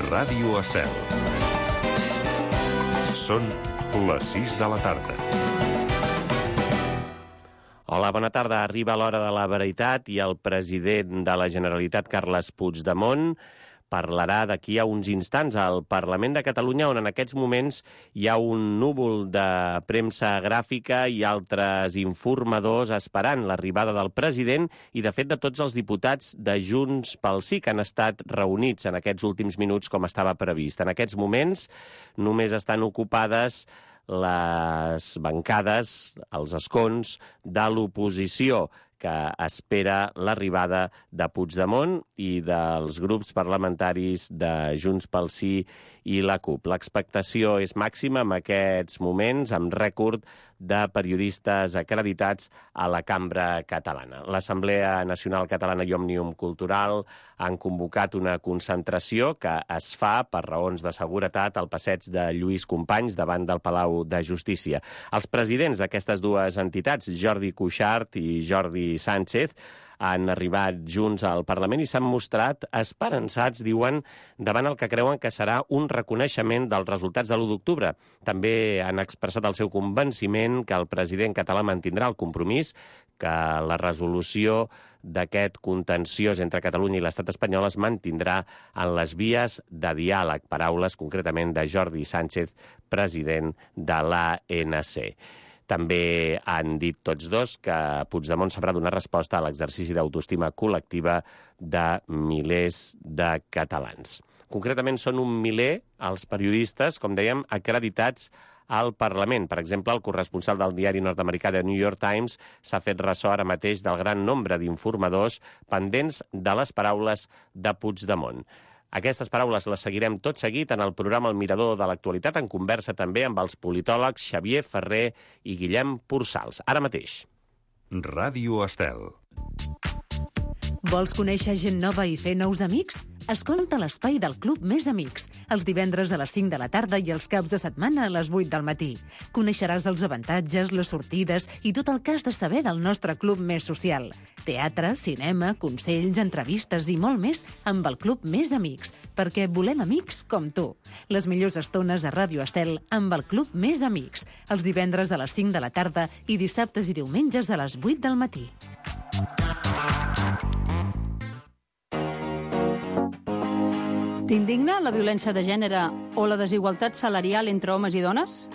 Ràdio Estel. Són les 6 de la tarda. Hola, bona tarda. Arriba l'hora de la veritat i el president de la Generalitat, Carles Puigdemont, parlarà d'aquí a uns instants al Parlament de Catalunya, on en aquests moments hi ha un núvol de premsa gràfica i altres informadors esperant l'arribada del president i, de fet, de tots els diputats de Junts pel Sí que han estat reunits en aquests últims minuts com estava previst. En aquests moments només estan ocupades les bancades, els escons de l'oposició, que espera l'arribada de Puigdemont i dels grups parlamentaris de Junts pel Sí i la CUP. L'expectació és màxima en aquests moments, amb rècord de periodistes acreditats a la cambra catalana. L'Assemblea Nacional Catalana i Òmnium Cultural han convocat una concentració que es fa per raons de seguretat al passeig de Lluís Companys davant del Palau de Justícia. Els presidents d'aquestes dues entitats, Jordi Cuixart i Jordi Sánchez, han arribat junts al Parlament i s'han mostrat esperançats, diuen, davant el que creuen que serà un reconeixement dels resultats de l'1 d'octubre. També han expressat el seu convenciment que el president català mantindrà el compromís que la resolució d'aquest contenciós entre Catalunya i l'estat espanyol es mantindrà en les vies de diàleg. Paraules, concretament, de Jordi Sánchez, president de l'ANC. També han dit tots dos que Puigdemont sabrà donar resposta a l'exercici d'autoestima col·lectiva de milers de catalans. Concretament, són un miler els periodistes, com dèiem, acreditats al Parlament. Per exemple, el corresponsal del diari nord-americà The New York Times s'ha fet ressò ara mateix del gran nombre d'informadors pendents de les paraules de Puigdemont. Aquestes paraules les seguirem tot seguit en el programa El Mirador de l'Actualitat, en conversa també amb els politòlegs Xavier Ferrer i Guillem Pursals. Ara mateix. Ràdio Estel. Vols conèixer gent nova i fer nous amics? Escolta l'espai del Club Més Amics, els divendres a les 5 de la tarda i els caps de setmana a les 8 del matí. Coneixeràs els avantatges, les sortides i tot el que has de saber del nostre club més social. Teatre, cinema, consells, entrevistes i molt més amb el Club Més Amics, perquè volem amics com tu. Les millors estones a Ràdio Estel amb el Club Més Amics, els divendres a les 5 de la tarda i dissabtes i diumenges a les 8 del matí. T'indigna la violència de gènere o la desigualtat salarial entre homes i dones?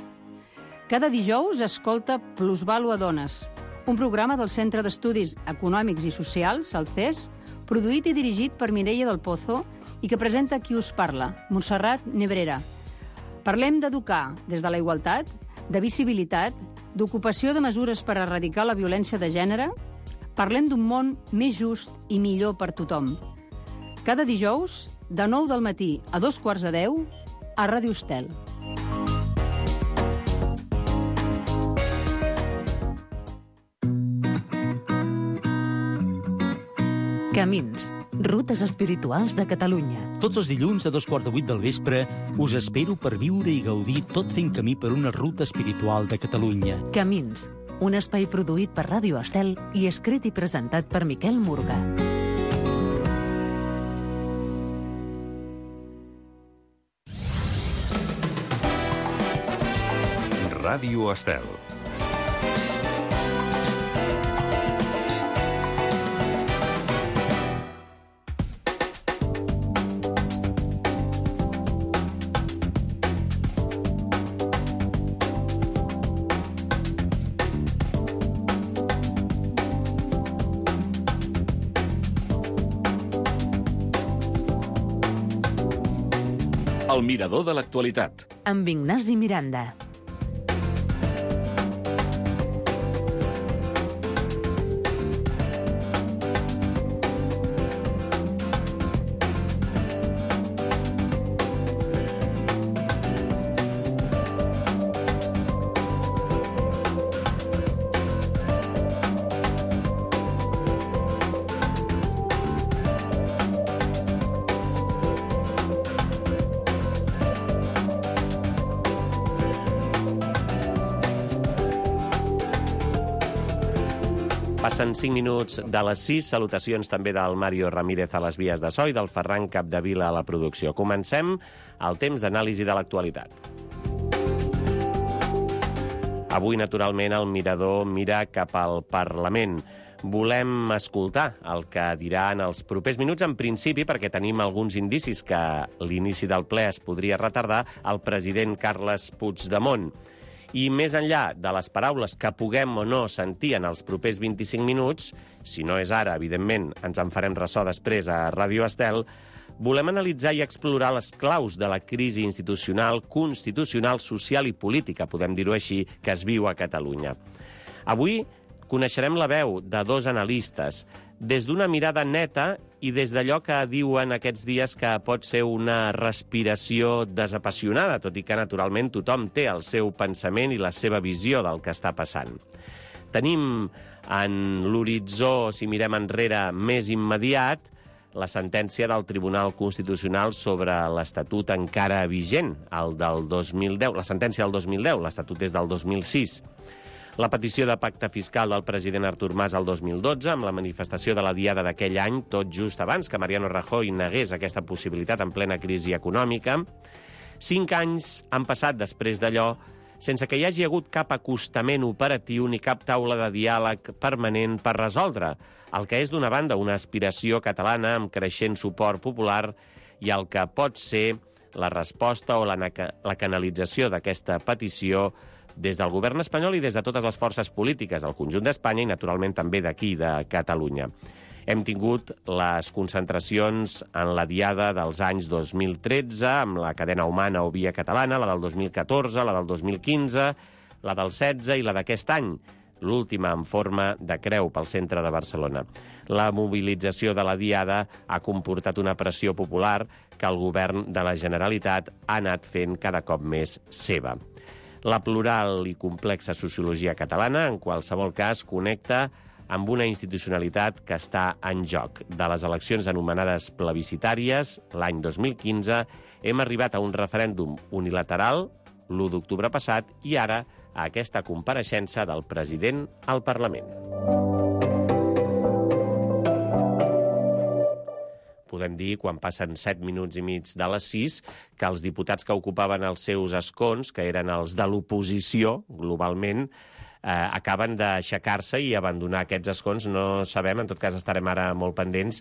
Cada dijous escolta Plusvàlua Dones, un programa del Centre d'Estudis Econòmics i Socials, el CES, produït i dirigit per Mireia del Pozo i que presenta qui us parla, Montserrat Nebrera. Parlem d'educar des de la igualtat, de visibilitat, d'ocupació de mesures per erradicar la violència de gènere. Parlem d'un món més just i millor per tothom. Cada dijous, de 9 del matí a 9:15, a Ràdio Estel. Camins, rutes espirituals de Catalunya. Tots els dilluns a 2:15 del vespre us espero per viure i gaudir tot fent camí per una ruta espiritual de Catalunya. Camins, un espai produït per Ràdio Estel i escrit i presentat per Miquel Murga. Ràdio Estel. El Mirador de l'Actualitat. Amb Ignasi Miranda. Passen 5 minuts de les 6. Salutacions també del Mario Ramírez a les vies de so i del Ferran Capdevila a la producció. Comencem el temps d'anàlisi de l'actualitat. Avui, naturalment, el mirador mira cap al Parlament. Volem escoltar el que dirà en els propers minuts, en principi, perquè tenim alguns indicis que l'inici del ple es podria retardar, el president Carles Puigdemont. I més enllà de les paraules que puguem o no sentir en els propers 25 minuts, si no és ara, evidentment, ens en farem ressò després a Ràdio Estel, volem analitzar i explorar les claus de la crisi institucional, constitucional, social i política, podem dir-ho així, que es viu a Catalunya. Avui coneixerem la veu de dos analistes, des d'una mirada neta i des d'allò que diuen aquests dies que pot ser una respiració desapassionada, tot i que, naturalment, tothom té el seu pensament i la seva visió del que està passant. Tenim en l'horitzó, si mirem enrere, més immediat, la sentència del Tribunal Constitucional sobre l'Estatut encara vigent, el del 2010, la sentència del 2010, l'Estatut és del 2006. La petició de pacte fiscal del president Artur Mas el 2012, amb la manifestació de la Diada d'aquell any, tot just abans que Mariano Rajoy negués aquesta possibilitat en plena crisi econòmica. 5 anys han passat després d'allò, sense que hi hagi hagut cap acostament operatiu ni cap taula de diàleg permanent per resoldre el que és, d'una banda, una aspiració catalana amb creixent suport popular i el que pot ser la resposta o la canalització d'aquesta petició des del govern espanyol i des de totes les forces polítiques del conjunt d'Espanya i, naturalment, també d'aquí, de Catalunya. Hem tingut les concentracions en la Diada dels anys 2013, amb la cadena humana o via catalana, la del 2014, la del 2015, la del 16 i la d'aquest any, l'última en forma de creu pel centre de Barcelona. La mobilització de la Diada ha comportat una pressió popular que el govern de la Generalitat ha anat fent cada cop més seva. La plural i complexa sociologia catalana, en qualsevol cas, connecta amb una institucionalitat que està en joc. De les eleccions anomenades plebiscitàries, l'any 2015, hem arribat a un referèndum unilateral, l'1 d'octubre passat, i ara a aquesta compareixença del president al Parlament. Podem dir, quan passen 7 minuts i mig de les 6, que els diputats que ocupaven els seus escons, que eren els de l'oposició, globalment, acaben d'aixecar-se i abandonar aquests escons. No sabem, en tot cas estarem ara molt pendents,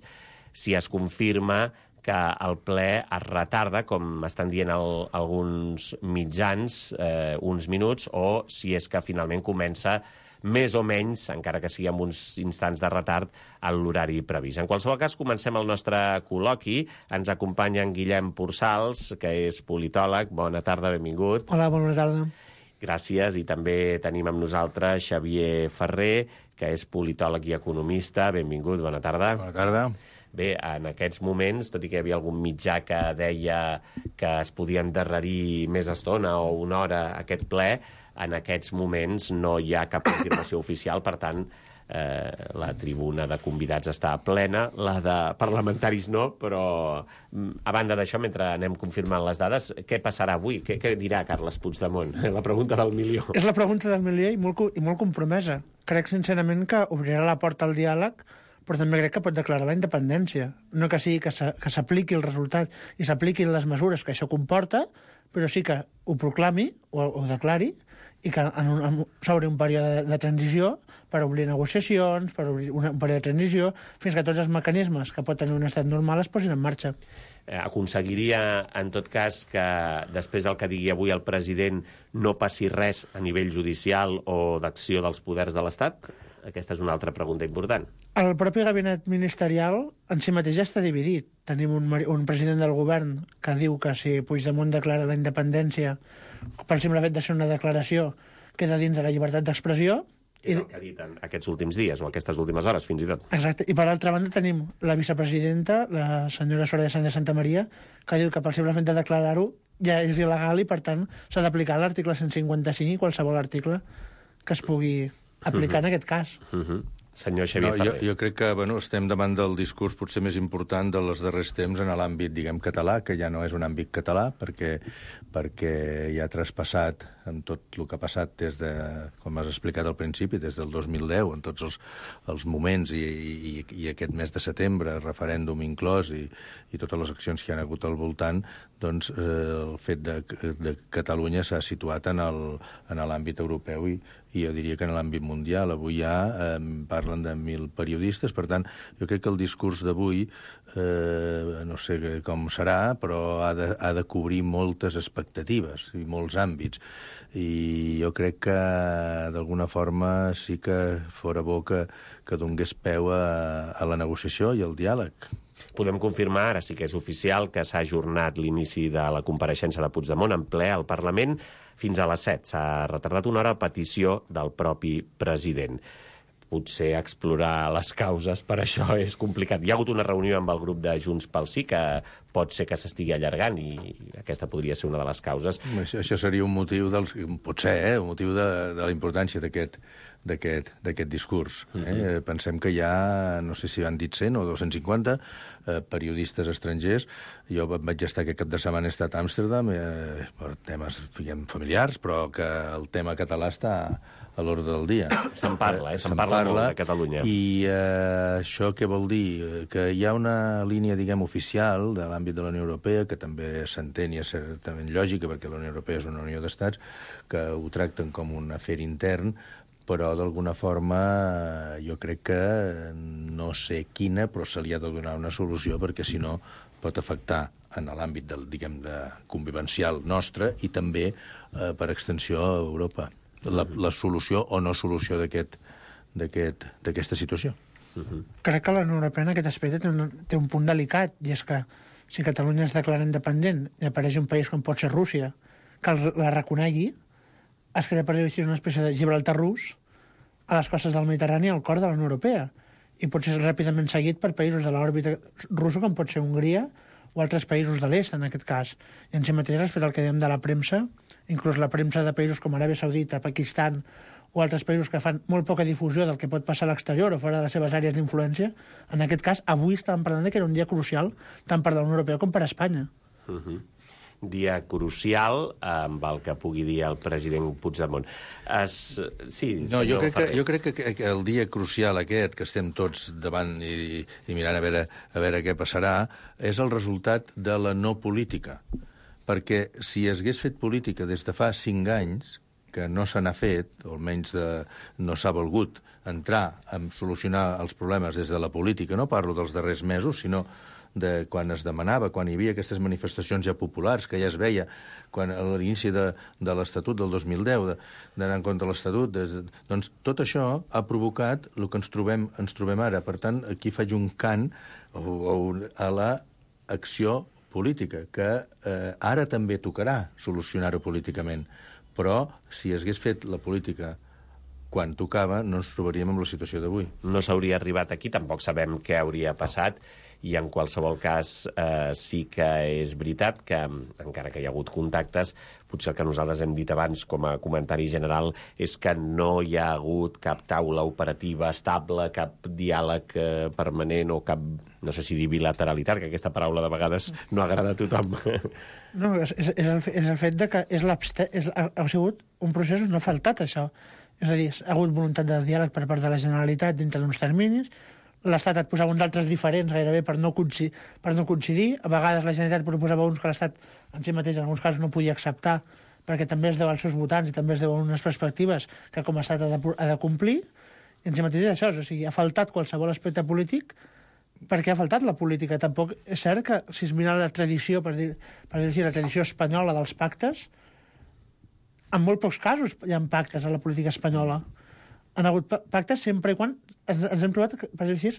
si es confirma que el ple es retarda, com estan dient alguns mitjans, uns minuts, o si és que finalment comença més o menys, encara que sigui amb uns instants de retard, a l'horari previst. En qualsevol cas, comencem el nostre col·loqui. Ens acompanya en Guillem Pursals, que és politòleg. Bona tarda, benvingut. Hola, bona tarda. Gràcies. I també tenim amb nosaltres Xavier Ferrer, que és politòleg i economista. Benvingut, bona tarda. Bona tarda. Bé, en aquests moments, tot i que hi havia algun mitjà que deia que es podia endarrerir més estona o una hora aquest ple, en aquests moments no hi ha cap confirmació oficial, per tant, la tribuna de convidats està plena, la de parlamentaris no, però a banda d'això, mentre anem confirmant les dades, què passarà avui? Què dirà Carles Puigdemont? La pregunta del milió. És la pregunta del milió i molt compromesa. Crec sincerament que obrirà la porta al diàleg, però també crec que pot declarar la independència. No que sigui que s'apliqui el resultat i s'apliquin les mesures que això comporta, però sí que ho proclami o ho declari i que s'obri un període de transició per obrir negociacions, per obrir un període de transició, fins que tots els mecanismes que pot tenir un estat normal es posin en marxa. Aconseguiria, en tot cas, que després del que digui avui el president no passi res a nivell judicial o d'acció dels poders de l'Estat? Aquesta és una altra pregunta important. El propi gabinet ministerial en si mateix ja està dividit. Tenim un president del govern que diu que si Puigdemont declara la independència, per simple fet de ser una declaració, queda dins de la llibertat d'expressió. És el que ha dit en aquests últims dies, o aquestes últimes hores, fins i tot. Exacte. I per altra banda tenim la vicepresidenta, la senyora Soraya Sáenz de Santamaría, que diu que per simple fet de declarar-ho ja és il·legal i, per tant, s'ha d'aplicar l'article 155 i qualsevol article que es pugui aplicar en aquest cas. Senyor Xavier Ferrer. Jo crec que estem davant del discurs potser més important dels darrers temps en l'àmbit, català, que ja no és un àmbit català, perquè ja ha traspassat amb tot el que ha passat des de, com has explicat al principi, des del 2010, en tots els moments i aquest mes de setembre, referèndum inclòs i totes les accions que hi ha hagut al voltant, doncs el fet de Catalunya s'ha situat en l'àmbit europeu i jo diria que en l'àmbit mundial. Avui ja parlen de 1.000 periodistes, per tant, jo crec que el discurs d'avui, no sé com serà, però ha de cobrir moltes expectatives i molts àmbits. I jo crec que, d'alguna forma, sí que fora bo que donés peu a la negociació i al diàleg. Podem confirmar, ara sí que és oficial, que s'ha ajornat l'inici de la compareixença de Puigdemont en ple al Parlament fins a les 7. S'ha retardat una hora a petició del propi president. Potser explorar les causes per això és complicat. Hi ha hagut una reunió amb el grup de Junts pel Sí que pot ser que s'estigui allargant i aquesta podria ser una de les causes. Això seria un motiu potser, un motiu de la importància d'aquest discurs. Pensem que hi ha, no sé si han dit 100 o 250 periodistes estrangers. Jo vaig estar aquest cap de setmana, he estat a Amsterdam per temes familiars, però que el tema català està a l'ordre del dia. Se'n parla molt de Catalunya. I això què vol dir? Que hi ha una línia, diguem, oficial de l'àmbit de la Unió Europea, que també s'entén i és certament lògica, perquè la Unió Europea és una unió d'estats, que ho tracten com un afer intern, però d'alguna forma jo crec que no sé quina, però se li ha de donar una solució, perquè si no pot afectar en l'àmbit diguem, de convivencial nostre i també per extensió a Europa. La solució o no solució d'aquesta situació. Crec que la Unió Europea en aquest aspecte té un punt delicat, i és que si Catalunya es declara independent i apareix un país com pot ser Rússia, que la reconegui, es crea per dir una espècie de Gibraltar rus a les costes del Mediterrani, al cor de la Unió Europea, i pot ser ràpidament seguit per països de l'òrbita russa, com pot ser Hongria o altres països de l'est, en aquest cas. I en si mateix, respecte al que dèiem de la premsa, inclús la premsa de països com Aràbia Saudita, Pakistan o altres països que fan molt poca difusió del que pot passar a l'exterior o fora de les seves àrees d'influència, en aquest cas, avui estàvem parlant que era un dia crucial tant per la Unió Europea com per Espanya. Dia crucial amb el que pugui dir el president Puigdemont. Jo crec que el dia crucial aquest, que estem tots davant i mirant a veure què passarà, és el resultat de la no política. Perquè si es hagués fet política des de fa 5 anys, que no se n'ha fet, o almenys no s'ha volgut entrar a solucionar els problemes des de la política, no parlo dels darrers mesos, sinó de quan es demanava, quan hi havia aquestes manifestacions ja populars, que ja es veia a l'inici de l'Estatut del 2010, d'anar en contra de l'Estatut, doncs tot això ha provocat el que ens trobem ara. Per tant, aquí faig un cant a l'acció política, que ara també tocarà solucionar-ho políticament. Però, si es hagués fet la política quan tocava, no ens trobaríem en la situació d'avui. No s'hauria arribat aquí, tampoc sabem què hauria passat, i en qualsevol cas sí que és veritat que, encara que hi ha hagut contactes, potser el que nosaltres hem dit abans com a comentari general és que no hi ha hagut cap taula operativa estable, cap diàleg permanent o cap, no sé si dir bilateralitat, que aquesta paraula de vegades no agrada a tothom. No, és el fet de que ha sigut un procés on no ha faltat això. És a dir, ha hagut voluntat de diàleg per part de la Generalitat dintre d'uns terminis, l'Estat et posava uns altres diferents gairebé per no coincidir. A vegades la Generalitat proposava uns que l'Estat en si mateix en alguns casos no podia acceptar perquè també es deu als seus votants i també es deu a unes perspectives que com a Estat ha de complir. I en si mateix és això, o sigui, ha faltat qualsevol aspecte polític perquè ha faltat la política. Tampoc és cert que si es mira la tradició, per dir la tradició espanyola dels pactes, en molt pocs casos hi ha pactes a la política espanyola. Han hagut pactes sempre i quan ens hem trobat, per dir-ho així,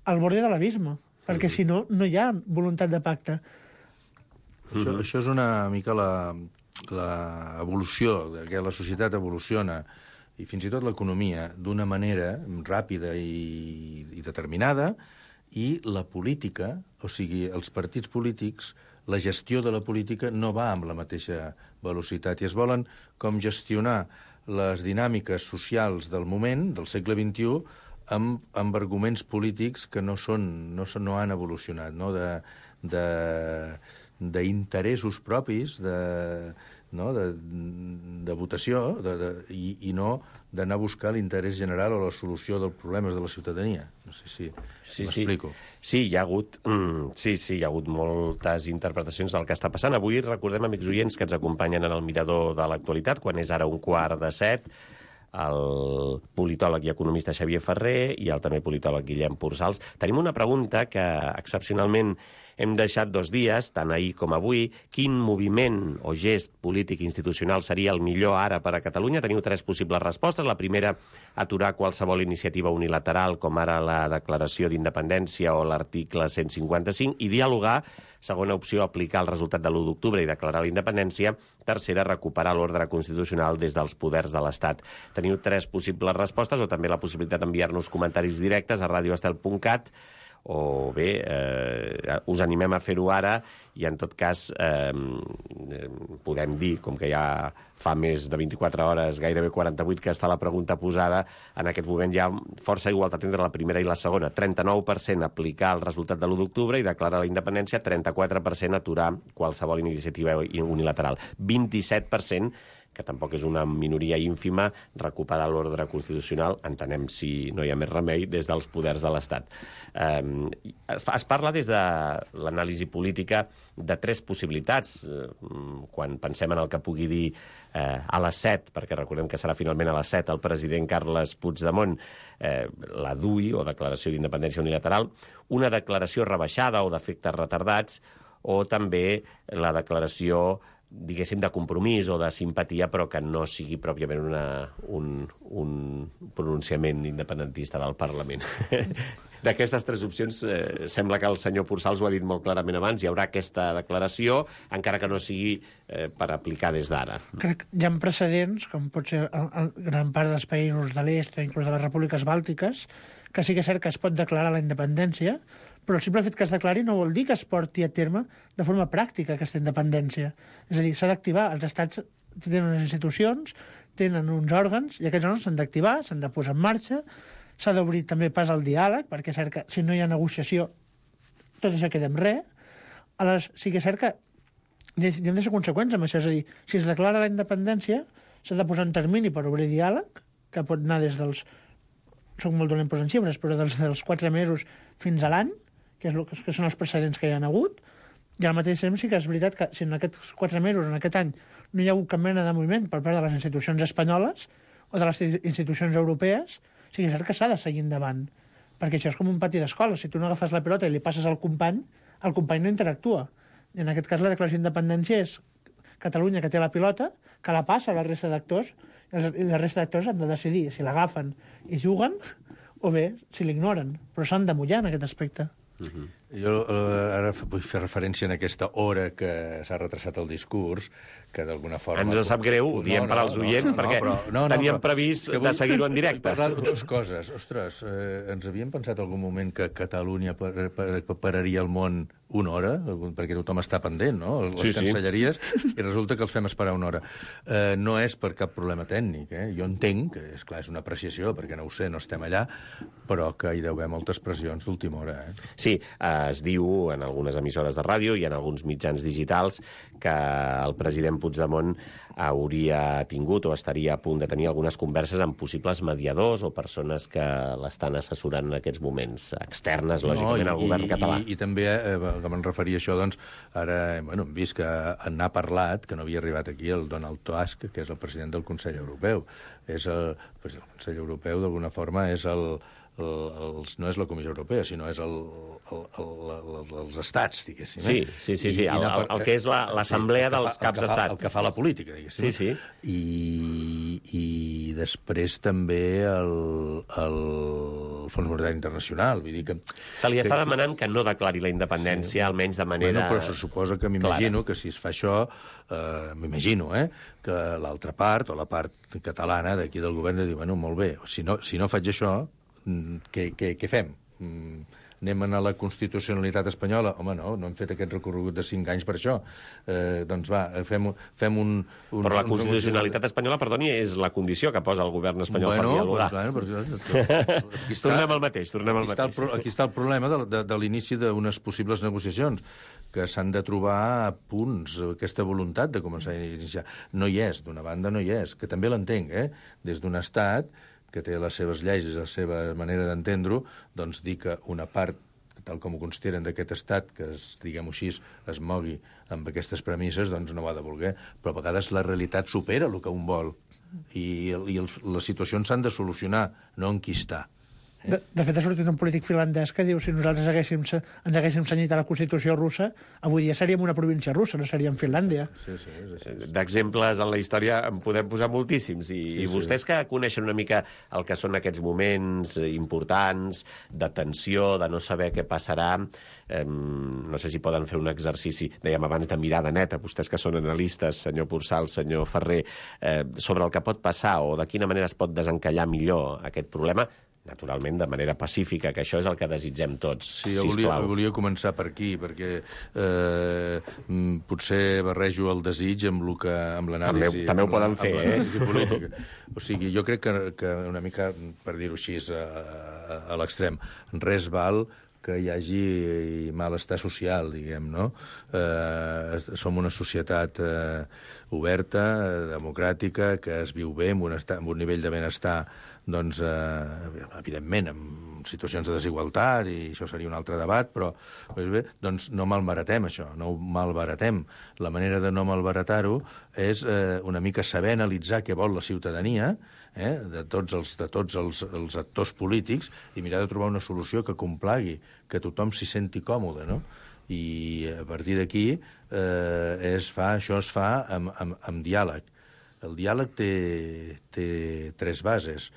al borde de l'abisme, perquè si no, no hi ha voluntat de pacte. Això és una mica l'evolució, que la societat evoluciona, i fins i tot l'economia, d'una manera ràpida i determinada, i la política, o sigui, els partits polítics, la gestió de la política no va amb la mateixa velocitat, i es volen com gestionar les dinàmiques socials del moment, del segle XXI, amb arguments polítics que no han evolucionat, no? D'interessos propis, no? de votació i no d'anar a buscar l'interès general o la solució dels problemes de la ciutadania. No sé si m'explico. Sí, hi ha hagut moltes interpretacions del que està passant. Avui recordem, amics oients, que ens acompanyen en el Mirador de l'actualitat, quan és ara 6:15, el politòleg i economista Xavier Ferrer i el també politòleg Guillem Pursals. Tenim una pregunta que excepcionalment hem deixat 2 dies, tant ahir com avui. Quin moviment o gest polític institucional seria el millor ara per a Catalunya? Teniu 3 possibles respostes. La primera, aturar qualsevol iniciativa unilateral, com ara la declaració d'independència o l'article 155, i dialogar. Segona opció, aplicar el resultat de l'1 d'octubre i declarar la independència. Tercera, recuperar l'ordre constitucional des dels poders de l'Estat. Teniu 3 possibles respostes, o també la possibilitat d'enviar-nos comentaris directes a radioestel.cat, o bé, us animem a fer-ho ara i, en tot cas, podem dir, com que ja fa més de 24 hores, gairebé 48, que està la pregunta posada, en aquest moment hi ha força igualtat entre la primera i la segona. 39% aplicar el resultat de l'1 d'octubre i declarar la independència, 34% aturar qualsevol iniciativa unilateral. 27%, que tampoc és una minoria ínfima, recuperar l'ordre constitucional, entenem, si no hi ha més remei, des dels poders de l'Estat. Es parla des de l'anàlisi política de 3 possibilitats, quan pensem en el que pugui dir a les 7, perquè recordem que serà finalment a les 7 el president Carles Puigdemont, la DUI, o Declaració d'Independència Unilateral, una declaració rebaixada o d'efectes retardats, o també la declaració, diguéssim, de compromís o de simpatia, però que no sigui pròpiament un pronunciament independentista del Parlament. D'aquestes 3 opcions, sembla que el senyor Pursals ho ha dit molt clarament abans, hi haurà aquesta declaració, encara que no sigui per aplicar des d'ara. Crec que hi ha precedents, com pot ser gran part dels països de l'est, inclús de les repúbliques bàltiques, que sí que és cert que es pot declarar la independència, però el simple fet que es declari no vol dir que es porti a terme de forma pràctica aquesta independència. És a dir, s'ha d'activar. Els estats tenen unes institucions, tenen uns òrgans, i aquests òrgans s'han d'activar, s'han de posar en marxa, s'ha d'obrir també pas al diàleg, perquè és cert que si no hi ha negociació tot això queda en res. Aleshores, sí que és cert que hi hem de ser conseqüents amb això. És a dir, si es declara la independència, s'ha de posar un termini per obrir diàleg, que pot anar des dels... Soc molt dolent posant xifres, però dels 4 mesos fins a l'any, que són els precedents que hi ha hagut, i al mateix temps sí que és veritat que si en aquests 4 mesos, en aquest any, no hi ha hagut cap mena de moviment per part de les institucions espanyoles o de les institucions europees, sí que és cert que s'ha de seguir endavant, perquè això és com un pati d'escola. Si tu no agafes la pilota i li passes al company no interactua. I en aquest cas la declaració d'independència és Catalunya, que té la pilota, que la passa a la resta d'actors, i la resta d'actors han de decidir si l'agafen i juguen o bé si l'ignoren, però s'han de mullar en aquest aspecte. Jo ara vull fer referència a aquesta hora que s'ha retrasat el discurs, que d'alguna forma... Ens sap greu, ho diem per als oients, perquè teníem previst de seguir-ho en directe. Parlar de 2 coses. Ostres, ens havíem pensat algun moment que Catalunya pararia el món 1 hora, perquè tothom està pendent, no? Les cancelleries, i resulta que els fem esperar 1 hora. No és per cap problema tècnic, Jo entenc, que és clar, és una apreciació, perquè no ho sé, no estem allà, però que hi deu haver moltes pressions d'última hora, Sí, es diu en algunes emissores de ràdio i en alguns mitjans digitals que el president Puigdemont hauria tingut o estaria a punt de tenir algunes converses amb possibles mediadors o persones que l'estan assessorant en aquests moments, externes, lògicament, al govern català. I també, que me'n referia a això, doncs, ara hem vist que n'ha parlat, que no havia arribat aquí, el Donald Tusk, que és el president del Consell Europeu. El Consell Europeu, d'alguna forma, és no és la Comissió Europea, sinó és els estats, diguéssim. Sí. El que és l'assemblea dels caps d'estat. El que fa la política, diguéssim. Sí. I després també el Fons Monetari Internacional. Vull dir que... Se li està demanant que no declari la independència, almenys de manera... Però se suposa que m'imagino que si es fa això, m'imagino, que l'altra part, o la part catalana d'aquí del govern, de dir, molt bé, si no faig això, què fem? anem a la constitucionalitat espanyola. Home, no hem fet aquest recorregut de 5 anys per això. Doncs va, fem un... Però la constitucionalitat espanyola, perdoni, és la condició que posa el govern espanyol per dialogar. Tornem al mateix. Aquí està el problema de l'inici d'unes possibles negociacions, que s'han de trobar a punts, aquesta voluntat de començar a iniciar. No hi és, d'una banda no hi és, que també l'entenc, des d'un estat que té les seves lleis i la seva manera d'entendre-ho, doncs dir que una part, tal com ho consideren d'aquest estat, que, diguem-ho així, es mogui amb aquestes premisses, doncs no ho ha de voler. Però a vegades la realitat supera el que un vol i les situacions s'han de solucionar, no enquistar. De fet, ha sortit un polític finlandès que diu si nosaltres ens haguéssim cenyit a la Constitució russa, avui dia seríem una província russa, no seríem Finlàndia. Sí. D'exemples en la història en podem posar moltíssims. I vostès que coneixen una mica el que són aquests moments importants de tensió, de no saber què passarà, no sé si poden fer un exercici, dèiem abans, de mirada neta, vostès que són analistes, senyor Porçal, senyor Ferrer, sobre el que pot passar o de quina manera es pot desencallar millor aquest problema, naturalment de manera pacífica, que això és el que desitgem tots, sisplau. Volia començar per aquí, perquè potser barrejo el desig amb l'anàlisi... També ho poden fer, política. O sigui, jo crec que una mica, per dir-ho així, a l'extrem, res val que hi hagi malestar social, diguem, no? Som una societat oberta, democràtica, que es viu bé, amb un nivell de benestar, doncs, evidentment, amb situacions de desigualtat, i això seria un altre debat, però doncs no malbaratem això, no ho malbaratem. La manera de no malbaratar-ho és una mica saber analitzar què vol la ciutadania, de tots els actors polítics, i mirar de trobar una solució que complagui, que tothom s'hi senti còmode, no? I a partir d'aquí això es fa amb diàleg. El diàleg té 3 bases,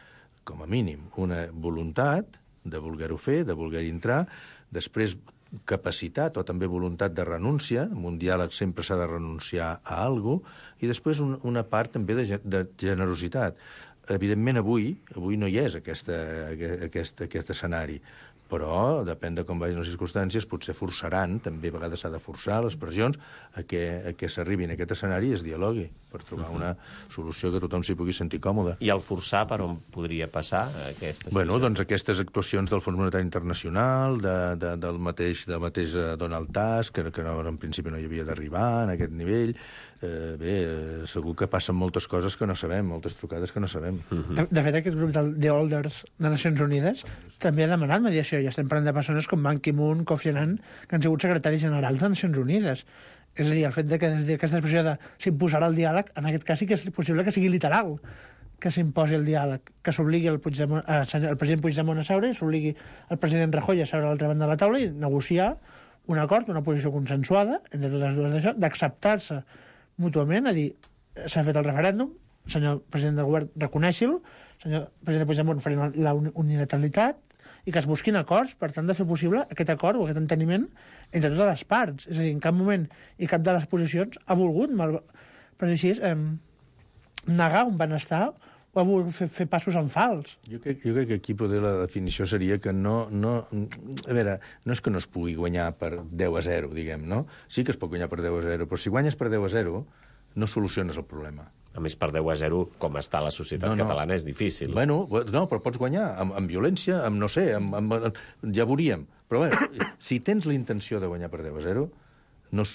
com a mínim. Una voluntat de voler-ho fer, de voler entrar, després capacitat o també voluntat de renúncia, en un diàleg sempre s'ha de renunciar a alguna cosa, i després una part també de generositat. Evidentment, avui no hi és aquest escenari, però depèn de com vagin les circumstàncies, potser forçaran, també a vegades s'ha de forçar les pressions, a que s'arribi en aquest escenari i es dialogui per trobar una solució que tothom s'hi pugui sentir còmode. I el forçar per on podria passar aquesta situació? Doncs aquestes actuacions del Fons Monetari Internacional, del mateix Donald Tusk, que en principi no hi havia d'arribar en aquest nivell. Segur que passen moltes coses que no sabem, moltes trucades que no sabem. De fet, aquest grup The Elders de Nacions Unides també ha demanat mediació. Ja estem parlant de persones com Ban Ki-moon, Kofi Annan, que han sigut secretaris generals de Nacions Unides. És a dir, el fet de que aquesta expressió de s'imposarà el diàleg, en aquest cas sí que és possible que sigui literal, que s'imposi el diàleg, que s'obligui el president Puigdemont a seure i s'obligui el president Rajoy a seure a l'altra banda de la taula i negociar un acord, una posició consensuada entre totes dues d'això, d'acceptar-se mútuament, a dir, s'ha fet el referèndum, senyor president del govern, reconeixi-lo, senyor president Puigdemont, farem la unilateralitat, i que es busquin acords per tant de fer possible aquest acord o aquest enteniment entre totes les parts. És a dir, en cap moment i cap de les posicions ha volgut, per dir així, negar un benestar o ha volgut fer passos en fals. Jo crec que aquí poder la definició seria que no és que no es pugui guanyar per 10-0, diguem, no? Sí que es pot guanyar per 10-0, però si guanyes per 10-0 no soluciones el problema. A més, per 10-0, com està la societat catalana, és difícil. No, però pots guanyar amb violència, amb no sé, ja veuríem. Però si tens la intenció de guanyar per 10-0, no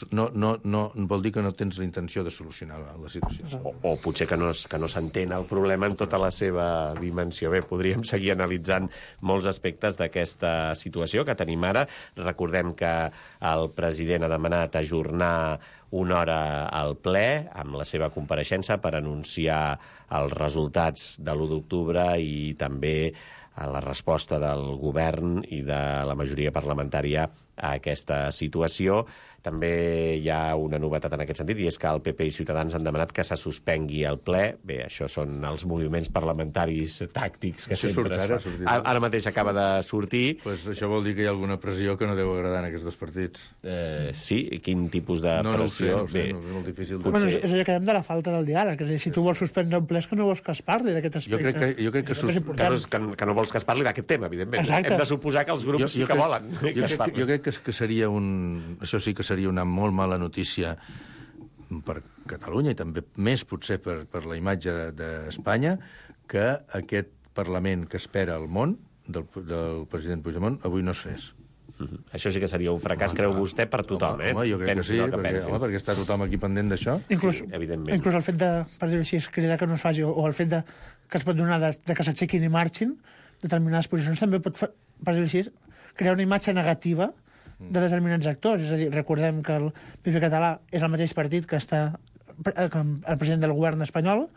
vol dir que no tens la intenció de solucionar la situació. O potser que no s'entén el problema en tota la seva dimensió. Bé, podríem seguir analitzant molts aspectes d'aquesta situació que tenim ara. Recordem que el president ha demanat ajornar una hora al ple amb la seva compareixença per anunciar els resultats de l'1 d'octubre i també a la resposta del govern i de la majoria parlamentària a aquesta situació. També hi ha una novetat en aquest sentit, i és que el PP i Ciutadans han demanat que se suspengui el ple. Bé, això són els moviments parlamentaris tàctics que això sempre es fan. Ara mateix acaba de sortir. Pues això vol dir que hi ha alguna pressió que no deu agradar en aquests dos partits. Sí? Quin tipus de pressió? No ho sé, és molt difícil. Bueno, és allò que dèiem de la falta del diàleg. És a dir, si tu vols suspendre un ple és que no vols que es parli d'aquest aspecte. Jo crec que no vols que es parli d'aquest tema, evidentment. Exacte. Hem de suposar que els grups sí que volen que es parli. Jo crec que seria això sí que seria una molt mala notícia per Catalunya i també més potser per la imatge d'Espanya, que aquest Parlament que espera el món del president Puigdemont avui no es fes. Això sí que seria un fracàs, creu vostè, per tothom, Home, jo crec que sí, perquè està tothom aquí pendent d'això. Inclús el fet de, per dir-ho així, cridar que no es faci, o el fet que es pot donar de que s'aixequin i marxin, determinades posicions també pot, per dir-ho així, crear una imatge negativa de determinats actors. És a dir, recordem que el PP català és el mateix partit que està el president del govern espanyol.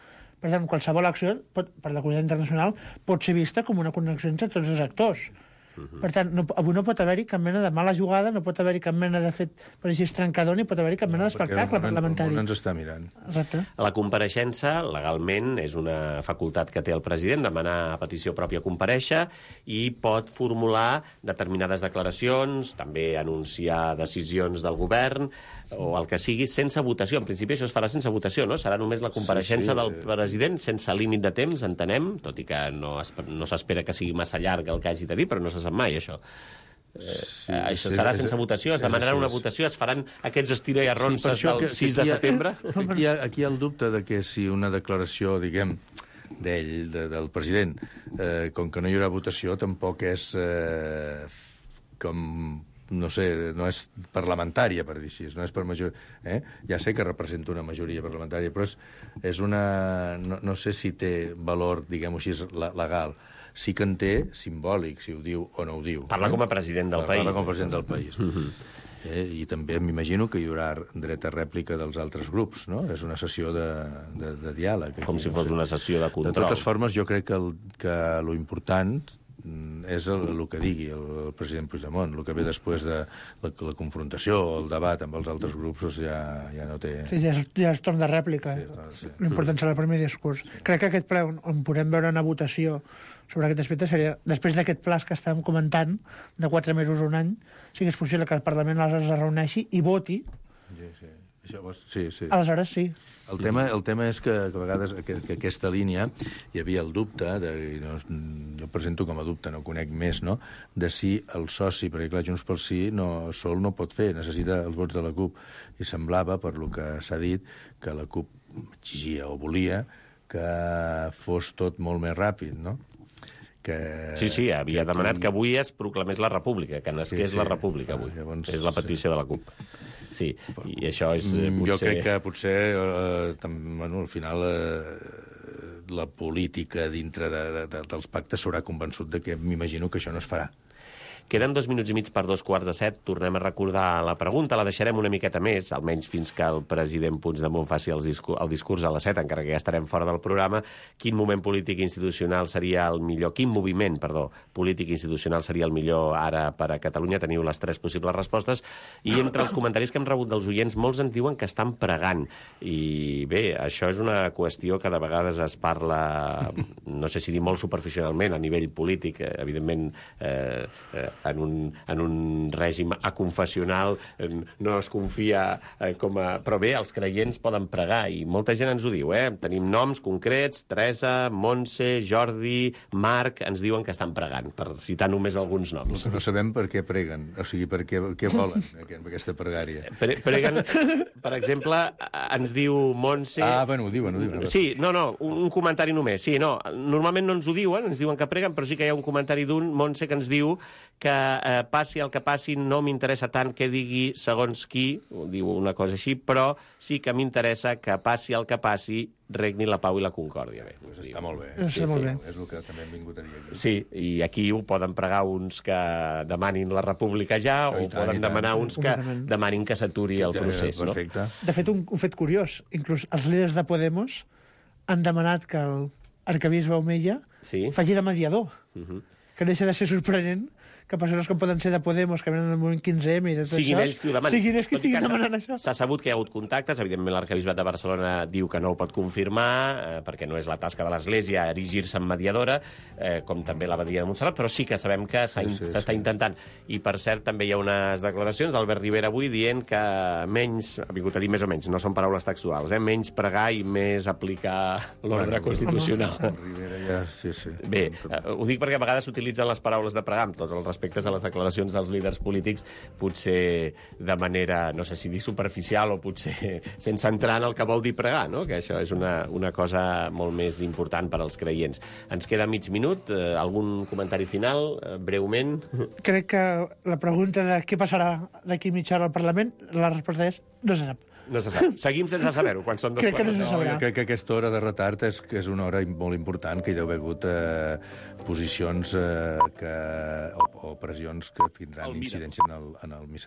Per tant, qualsevol acció, per la comunitat internacional, pot ser vista com una connexió entre tots els actors. Per tant, avui no pot haver-hi cap mena de mala jugada, no pot haver-hi cap mena de fet, per així, trencador, ni pot haver-hi cap mena d'espectacle parlamentari. El món ens està mirant. Exacte. La compareixença, legalment, és una facultat que té el president, demanar a petició pròpia comparèixer, i pot formular determinades declaracions, també anunciar decisions del govern, o el que sigui, sense votació. En principi això es farà sense votació, no? Serà només la compareixença del president, sense límit de temps, entenem, tot i que no s'espera que sigui massa llarg el que hagi de dir, però no se sap mai, això. Això serà sense votació, es demanarà una votació, es faran aquests estira i arronses del 6 de setembre? Aquí hi ha el dubte de que si una declaració, diguem, d'ell, del president, com que no hi haurà votació, tampoc és com... no sé, no és parlamentària, per dir així, no és per majoria. Ja sé que representa una majoria parlamentària, però és una... No sé si té valor, diguem-ho així, legal. Sí que en té simbòlic, si ho diu o no ho diu. Parla com a president del país. Parla com a president del país. I també m'imagino que hi haurà dret a rèplica dels altres grups, no? És una sessió de diàleg. Com si fos una sessió de control. De totes formes, jo crec que lo important és el que digui el president Puigdemont. El que ve després de la confrontació o el debat amb els altres grups ja no té... Sí, ja és torn de rèplica. Sí. L'important serà el primer discurs. Crec que aquest ple on podem veure una votació sobre aquest aspecte seria, després d'aquest pla que estàvem comentant, de 4 mesos o un any, si és possible que el Parlament aleshores es reuneixi i voti. Sí. Aleshores sí. El tema és que a vegades que aquesta línia hi havia el dubte, jo presento com a dubte, no conec més, no?, de si el soci, perquè clar, Junts pel Sí sol no pot fer, necessita els vots de la CUP, i semblava, per lo que s'ha dit, que la CUP exigia o volia que fos tot molt més ràpid, no? Sí, havia demanat que avui es proclamés la república, que nasqués la república avui. És la petició de la CUP. Sí, i això és potser... Jo crec que potser, al final, la política dintre dels pactes s'haurà convençut de que m'imagino que això no es farà. Queden 2 minuts i mig per 2:15. Tornem a recordar la pregunta, la deixarem una miqueta més, almenys fins que el president Puigdemont faci el discurs a les 7, encara que ja estarem fora del programa. Quin moment polític i institucional seria el millor? Quin moviment, polític i institucional seria el millor ara per a Catalunya? Teniu les 3 possibles respostes. I entre els comentaris que hem rebut dels oients, molts en diuen que estan pregant. I bé, això és una qüestió que de vegades es parla, no sé si dir molt superficialment, a nivell polític, evidentment, en un règim aconfessional no es confia però bé, els creients poden pregar i molta gent ens ho diu, tenim noms concrets, Teresa, Montse, Jordi, Marc, ens diuen que estan pregant, per citar només alguns noms. No sabem per què preguen, o sigui, per què volen aquesta pregària. Preguen, per exemple, ens diu Montse... Bueno, ho diuen. Sí, un comentari només. Sí, normalment no ens ho diuen, ens diuen que preguen, però sí que hi ha un comentari d'un Montse que ens diu que passi el que passi, no m'interessa tant que digui segons qui, diu una cosa així, però sí que m'interessa que passi el que passi, regni la pau i la concòrdia. Bé, està molt bé. Està molt bé. És el que també hem vingut a dir aquí. Sí, i aquí ho poden pregar uns que demanin la república ja, o poden demanar uns que demanin que s'aturi el procés. Perfecte. De fet, un fet curiós, inclús els líders de Podemos han demanat que l'arquebisbe Omeya faci de mediador, que deixa de ser sorprenent que persones que poden ser de Podemos, que venen al moviment 15M i de tot Siguin això... ells qui ho demanin. Siguin ells qui Tot i que estiguin demanant això. S'ha sabut que hi ha hagut contactes, evidentment l'Arquebisbat de Barcelona diu que no ho pot confirmar, perquè no és la tasca de l'Església erigir-se en mediadora, com també l'abadia de Montserrat, però sí que sabem que s'està intentant. I, per cert, també hi ha unes declaracions d'Albert Rivera avui dient que menys, ha vingut a dir més o menys, no són paraules textuals, menys pregar i més aplicar l'ordre constitucional. Rivera ja... Sí. Bé, ho dic perquè a vegades s'utilitzen les paraules de pregar, amb tots els respectes a les declaracions dels líders polítics, potser de manera, no sé si dir superficial o potser sense entrar en el que vol dir pregar, no? Que això és una cosa molt més important per als creients. Ens queda mig minut, algun comentari final, breument? Crec que la pregunta de què passarà d'aquí mitja hora al Parlament, la resposta és no se sap. No se sap. Seguim sense saber-ho, quan són dos Crec que no quarts. se sabrà. Jo crec que aquesta hora de retard és una hora molt important, que hi deu haver hagut posicions o pressions que tindran incidència en el missatge.